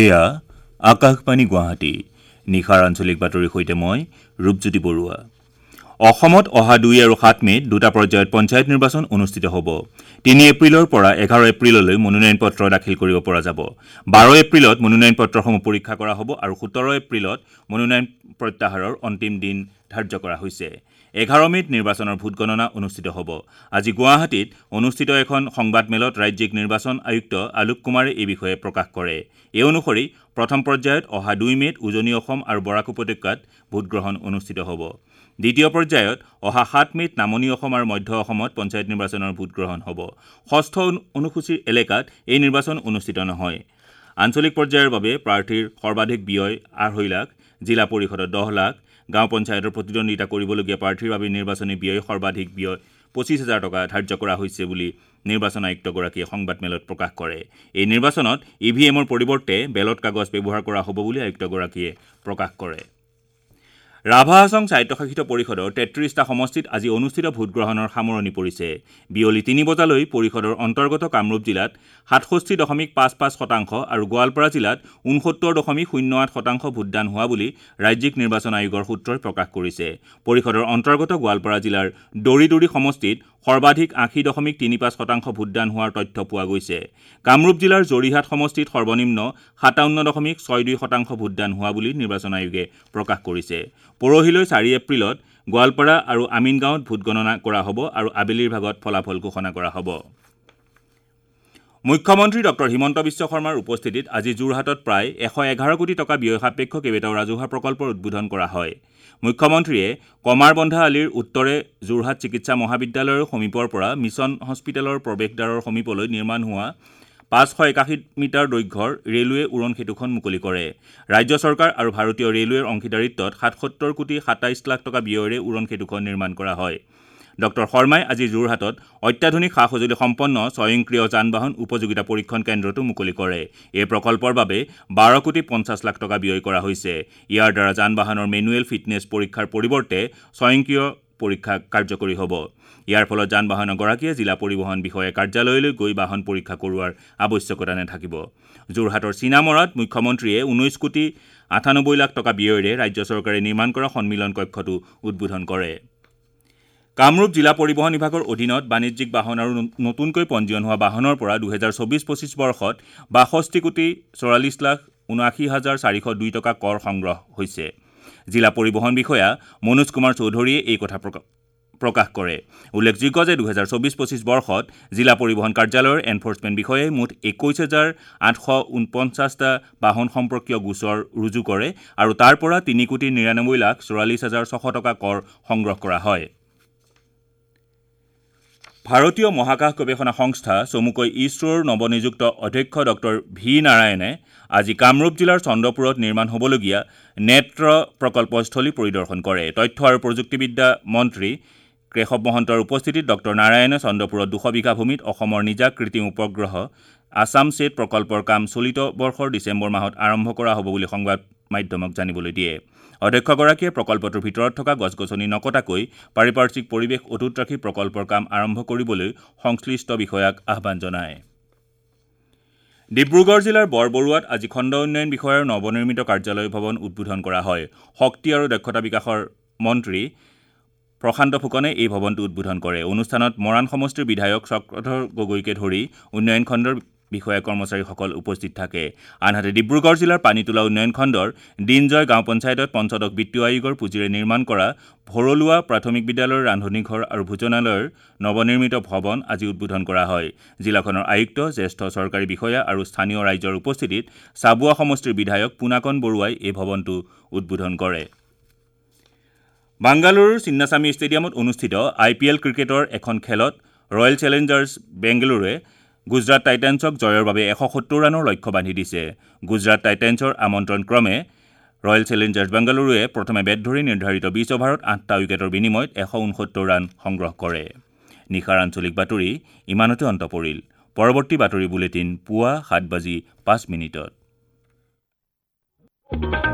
এয়া আকাশবাণী গুৱাহাটী। নিশাৰ আঞ্চলিক বাতৰিৰ সৈতে মই ৰূপজ্যোতি বৰুৱা। অসমত অহা 2 আৰু 7 মে'ত দুটা পৰ্যায়ত পঞ্চায়ত নিৰ্বাচন অনুষ্ঠিত হ'ব। 3 এপ্ৰিলৰ পৰা 11 এপ্ৰিললৈ মনোনয়ন পত্ৰ দাখিল কৰিব পৰা যাব। 12 এপ্ৰিলত মনোনয়ন পত্ৰসমূহ পৰীক্ষা কৰা হ'ব আৰু 17 এপ্ৰিলত মনোনয়ন প্ৰত্যাহাৰৰ অন্তিম দিন ধাৰ্য কৰা হৈছে। 11 মে'ত নিৰ্বাচনৰ ভোটগণনা অনুষ্ঠিত হ'ব। আজি গুৱাহাটীত অনুষ্ঠিত এখন সংবাদমেলত ৰাজ্যিক নিৰ্বাচন আয়ুক্ত আলোক কুমাৰে এই বিষয়ে প্ৰকাশ কৰে। এই অনুসৰি প্ৰথম পৰ্যায়ত অহা 2 মে'ত উজনি অসম আৰু বৰাক উপত্যকাত ভোটগ্ৰহণ অনুষ্ঠিত হ'ব। দ্বিতীয় পৰ্যায়ত অহা 7 মে'ত নামনি অসম আৰু মধ্য অসমত পঞ্চায়ত নিৰ্বাচনৰ ভোটগ্ৰহণ হ'ব। ষষ্ঠ অনুসূচীৰ এলেকাত এই নিৰ্বাচন অনুষ্ঠিত নহয়। আঞ্চলিক পৰ্যায়ৰ বাবে প্ৰাৰ্থীৰ সৰ্বাধিক ব্যয় 2.5 লাখ, জিলা পৰিষদত 10 লাখ, গাঁও পঞ্চায়তৰ প্ৰতিদ্বন্দ্বিতা কৰিবলগীয়া প্ৰাৰ্থীৰ বাবে নিৰ্বাচনী ব্যয় সৰ্বাধিক ব্যয় 25,000 টকা ধাৰ্য কৰা হৈছে বুলি নিৰ্বাচন আয়ুক্তগৰাকীয়ে সংবাদমেলত প্ৰকাশ কৰে। এই নিৰ্বাচনত ই ভি এমৰ পৰিৱৰ্তে বেলট কাগজ ব্যৱহাৰ কৰা হ'ব বুলি আয়ুক্তগৰাকীয়ে প্ৰকাশ কৰে। ৰাভা হাছং স্বায়ত্তশাসিত পৰিষদৰ 33টা সমষ্টিত আজি অনুষ্ঠিত ভোটগ্ৰহণৰ সামৰণি পৰিছে। বিয়লি 3 বজালৈ পৰিষদৰ অন্তৰ্গত কামৰূপ জিলাত 67.55% আৰু গোৱালপাৰা জিলাত 69.08% ভোটদান হোৱা বুলি ৰাজ্যিক নিৰ্বাচন আয়োগৰ সূত্ৰই প্ৰকাশ কৰিছে। পৰিষদৰ অন্তৰ্গত গোৱালপাৰা জিলাৰ দৰি সমষ্টিত সৰ্বাধিক 80.35% ভোটদান হোৱাৰ তথ্য পোৱা গৈছে। কামৰূপ জিলাৰ জৰিহাট সমষ্টিত সৰ্বনিম্ন 57.62% ভোটদান হোৱা বুলি নিৰ্বাচন আয়োগে প্ৰকাশ কৰিছে। পৰহিলৈ 4 এপ্ৰিলত গোৱালপাৰা আৰু আমিনগাঁৱত ভোটগণনা কৰা হ'ব আৰু আবেলিৰ ভাগত ফলাফল ঘোষণা কৰা হ'ব। মুখ্যমন্ত্ৰী ডঃ হিমন্ত বিশ্ব শৰ্মাৰ উপস্থিতিত আজি যোৰহাটত প্ৰায় 111 কোটি টকা ব্যয় সাপেক্ষ কেইবাটাও ৰাজহুৱা প্ৰকল্পৰ উদ্বোধন কৰা হয়। মুখ্যমন্ত্ৰীয়ে কমাৰবন্ধা আলিৰ উত্তৰে যোৰহাট চিকিৎসা মহাবিদ্যালয়ৰ সমীপৰ পৰা মিছন হস্পিটেলৰ প্ৰৱেশদ্বাৰৰ সমীপলৈ নিৰ্মাণ হোৱা 581 মিটাৰ দৈৰ্ঘ্যৰ ৰেলৱে উৰণ সেতুখন মুকলি কৰে। ৰাজ্য চৰকাৰ আৰু ভাৰতীয় ৰেলৱেৰ অংশীদাৰিত্বত 77 কোটি 27 লাখ টকা ব্যয়েৰে উৰণ সেতুখন নিৰ্মাণ কৰা হয়। ডঃ শৰ্মাই আজি যোৰহাটত অত্যাধুনিক সা সঁজুলি সম্পন্ন স্বয়ংক্ৰিয় যান বাহন উপযোগিতা পৰীক্ষণ কেন্দ্ৰটো মুকলি কৰে। এই প্ৰকল্পৰ বাবে 12 কোটি 50 লাখ টকা ব্যয় কৰা হৈছে। ইয়াৰ দ্বাৰা যান বাহনৰ মেনুৱেল ফিটনেছ পৰীক্ষাৰ পৰিৱৰ্তে স্বয়ংক্ৰিয় পৰীক্ষা কাৰ্যকৰী হ'ব। ইয়াৰ ফলত যান বাহনৰ গৰাকীয়ে জিলা পৰিবহণ বিষয়াৰ কাৰ্যালয়লৈ গৈ বাহন পৰীক্ষা কৰোৱাৰ আৱশ্যকতা নাথাকিব। যোৰহাটৰ চিনামৰাত মুখ্যমন্ত্ৰীয়ে 19 কোটি 98 লাখ টকা ব্যয়েৰে ৰাজ্য চৰকাৰে নিৰ্মাণ কৰা সন্মিলন কক্ষটো উদ্বোধন কৰে। কামৰূপ জিলা পৰিবহণ বিভাগৰ অধীনত বাণিজ্যিক বাহন আৰু নতুনকৈ পঞ্জীয়ন হোৱা বাহনৰ পৰা 2024-25 বৰ্ষত 62 কোটি 44 লাখ 79,402 টকা কৰ সংগ্ৰহ হৈছে। জিলা পৰিবহণ বিষয়া মনোজ কুমাৰ চৌধুৰীয়ে এই কথা প্ৰকাশ কৰে। উল্লেখযোগ্য যে 2024-25 বৰ্ষত জিলা পৰিবহণ কাৰ্যালয়ৰ এনফৰ্চমেণ্ট বিষয়াই মুঠ 21,849টা বাহন সম্পৰ্কীয় গোচৰ ৰুজু কৰে আৰু তাৰ পৰা 3 কোটি 99 লাখ 44,600 টকা কৰ সংগ্ৰহ কৰা হয়। ভাৰতীয় মহাকাশ গৱেষণা সংস্থা চমুকৈ ইছৰোৰ নৱনিযুক্ত অধ্যক্ষ ডঃ ভি নাৰায়ণে আজি কামৰূপ জিলাৰ চন্দ্ৰপুৰত নিৰ্মাণ হ'বলগীয়া নেত্ৰ প্ৰকল্পস্থলী পৰিদৰ্শন কৰে। তথ্য আৰু প্ৰযুক্তিবিদ্যা মন্ত্ৰী কেশৱ মহন্তৰ উপস্থিতিত ডঃ নাৰায়ণে চন্দ্ৰপুৰত 200 বিঘা ভূমিত অসমৰ নিজা কৃত্ৰিম উপগ্ৰহ আছাম ছেট প্ৰকল্পৰ কাম চলিত বৰ্ষৰ ডিচেম্বৰ মাহত আৰম্ভ কৰা হ'ব বুলি সংবাদ মাধ্যমক জানিবলৈ দিয়ে। অধ্যক্ষগৰাকীয়ে প্ৰকল্পটোৰ ভিতৰত থকা গছ-গছনি নকটাকৈ পাৰিপাৰ্শ্বিক পৰিৱেশ অটুট ৰাখি প্ৰকল্পৰ কাম আৰম্ভ কৰিবলৈ সংশ্লিষ্ট বিষয়াক আহ্বান জনায়। ডিব্ৰুগড় জিলাৰ বৰবৰুৱাত আজি খণ্ড উন্নয়ন বিষয়াৰ নৱনিৰ্মিত কাৰ্যালয় ভৱন উদ্বোধন কৰা হয়। শক্তি আৰু দক্ষতা বিকাশৰ মন্ত্ৰী প্ৰশান্ত ফুকনে এই ভৱনটো উদ্বোধন কৰে। অনুষ্ঠানত মৰাণ সমষ্টিৰ বিধায়ক চক্ৰধৰ গগৈকে ধৰি উন্নয়ন খণ্ডৰ বিষয়া কৰ্মচাৰীসকল উপস্থিত থাকে। আনহাতে ডিব্ৰুগড় জিলাৰ পানীতোলা উন্নয়ন খণ্ডৰ দিনজয় গাঁও পঞ্চায়তত পঞ্চদশ বিত্তীয় আয়োগৰ পুঁজিৰে নিৰ্মাণ কৰা ভৰলুৱা প্ৰাথমিক বিদ্যালয়ৰ ৰান্ধনীঘৰ আৰু ভোজনালয়ৰ নৱনিৰ্মিত ভৱন আজি উদ্বোধন কৰা হয়। জিলাখনৰ আয়ুক্ত, জ্যেষ্ঠ চৰকাৰী বিষয়া আৰু স্থানীয় ৰাইজৰ উপস্থিতিত চাবুৱা সমষ্টিৰ বিধায়ক পোনাকণ বৰুৱাই এই ভৱনটো উদ্বোধন কৰে। বাংগালুৰুৰ চিন্নাস্বামী ষ্টেডিয়ামত অনুষ্ঠিত আই পি এল ক্ৰিকেটৰ এখন খেলত ৰয়েল চেলেঞ্জাৰ্ছ বেংগালুৰুৱে গুজৰাট টাইটেন্সক জয়ৰ বাবে 170 ৰানৰ লক্ষ্য বান্ধি দিছে। গুজৰাট টাইটেন্সৰ আমন্ত্ৰণ ক্ৰমে ৰয়েল চেলেঞ্জাৰ্ছ বেংগালুৰুৱে প্ৰথমে বেট ধৰি নিৰ্ধাৰিত 20 অভাৰত 8টা উইকেটৰ বিনিময়ত 169 ৰান সংগ্ৰহ কৰে। নিশাৰ আঞ্চলিক বাতৰি ইমানতে অন্ত পৰিল। পৰৱৰ্তী বাতৰি বুলেটিন পুৱা 7:05।